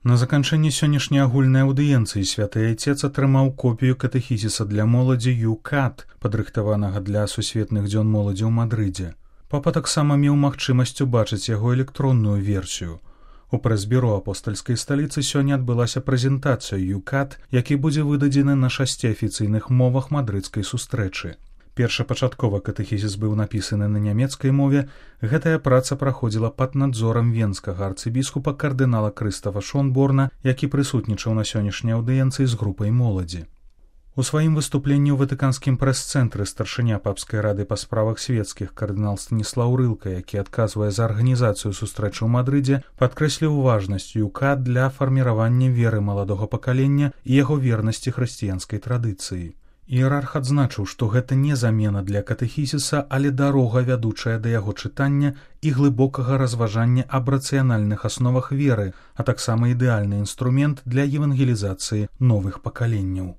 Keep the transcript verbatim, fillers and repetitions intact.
На заканчэнне сённяшняй агульнай аўдыенцыі святы айцец атрымаў копію катэхізіса для моладзі ЮКАТ, падрыхтаванага для сусветных дзён моладзі ў Мадрыдзе. Папа таксама меў магчымасць убачыць яго электронную версію. У прэс-бюро апостальскай сталіцы сёння адбылася прэзентацыя ЮКАТ, які будзе выдадзены на шасці афіцыйных мовах мадрыдскай сустрэчы. Першапачаткова катэхізіс быў напісаны на нямецкай мове. Гэтая праца праходзіла пад надзорам венскага арцыбіскупа кардынала Крыстафа Шонборна, які прысутнічаў на сённяшняй аўдыенцыі з групай моладзі. У сваім выступленні ў ватыканскім прэс-цэнтры старшыня папскай рады па справах светскіх кардынал Станіслаў Рылка, які адказвае за арганізацыю сустрэчы ў Мадрыдзе, падкрэсліў важнасць ЮКАТ для фарміравання веры маладога пакалення і яго вернасці хрысціянскай традыцыі. Іерарх адзначыў, што гэта не замена для катэхізіса, але дарога, вядучая да яго чытання і глыбокага разважання аб рацыянальных асновах веры, а таксама ідэальны інструмент для евангелізацыі новых пакаленняў.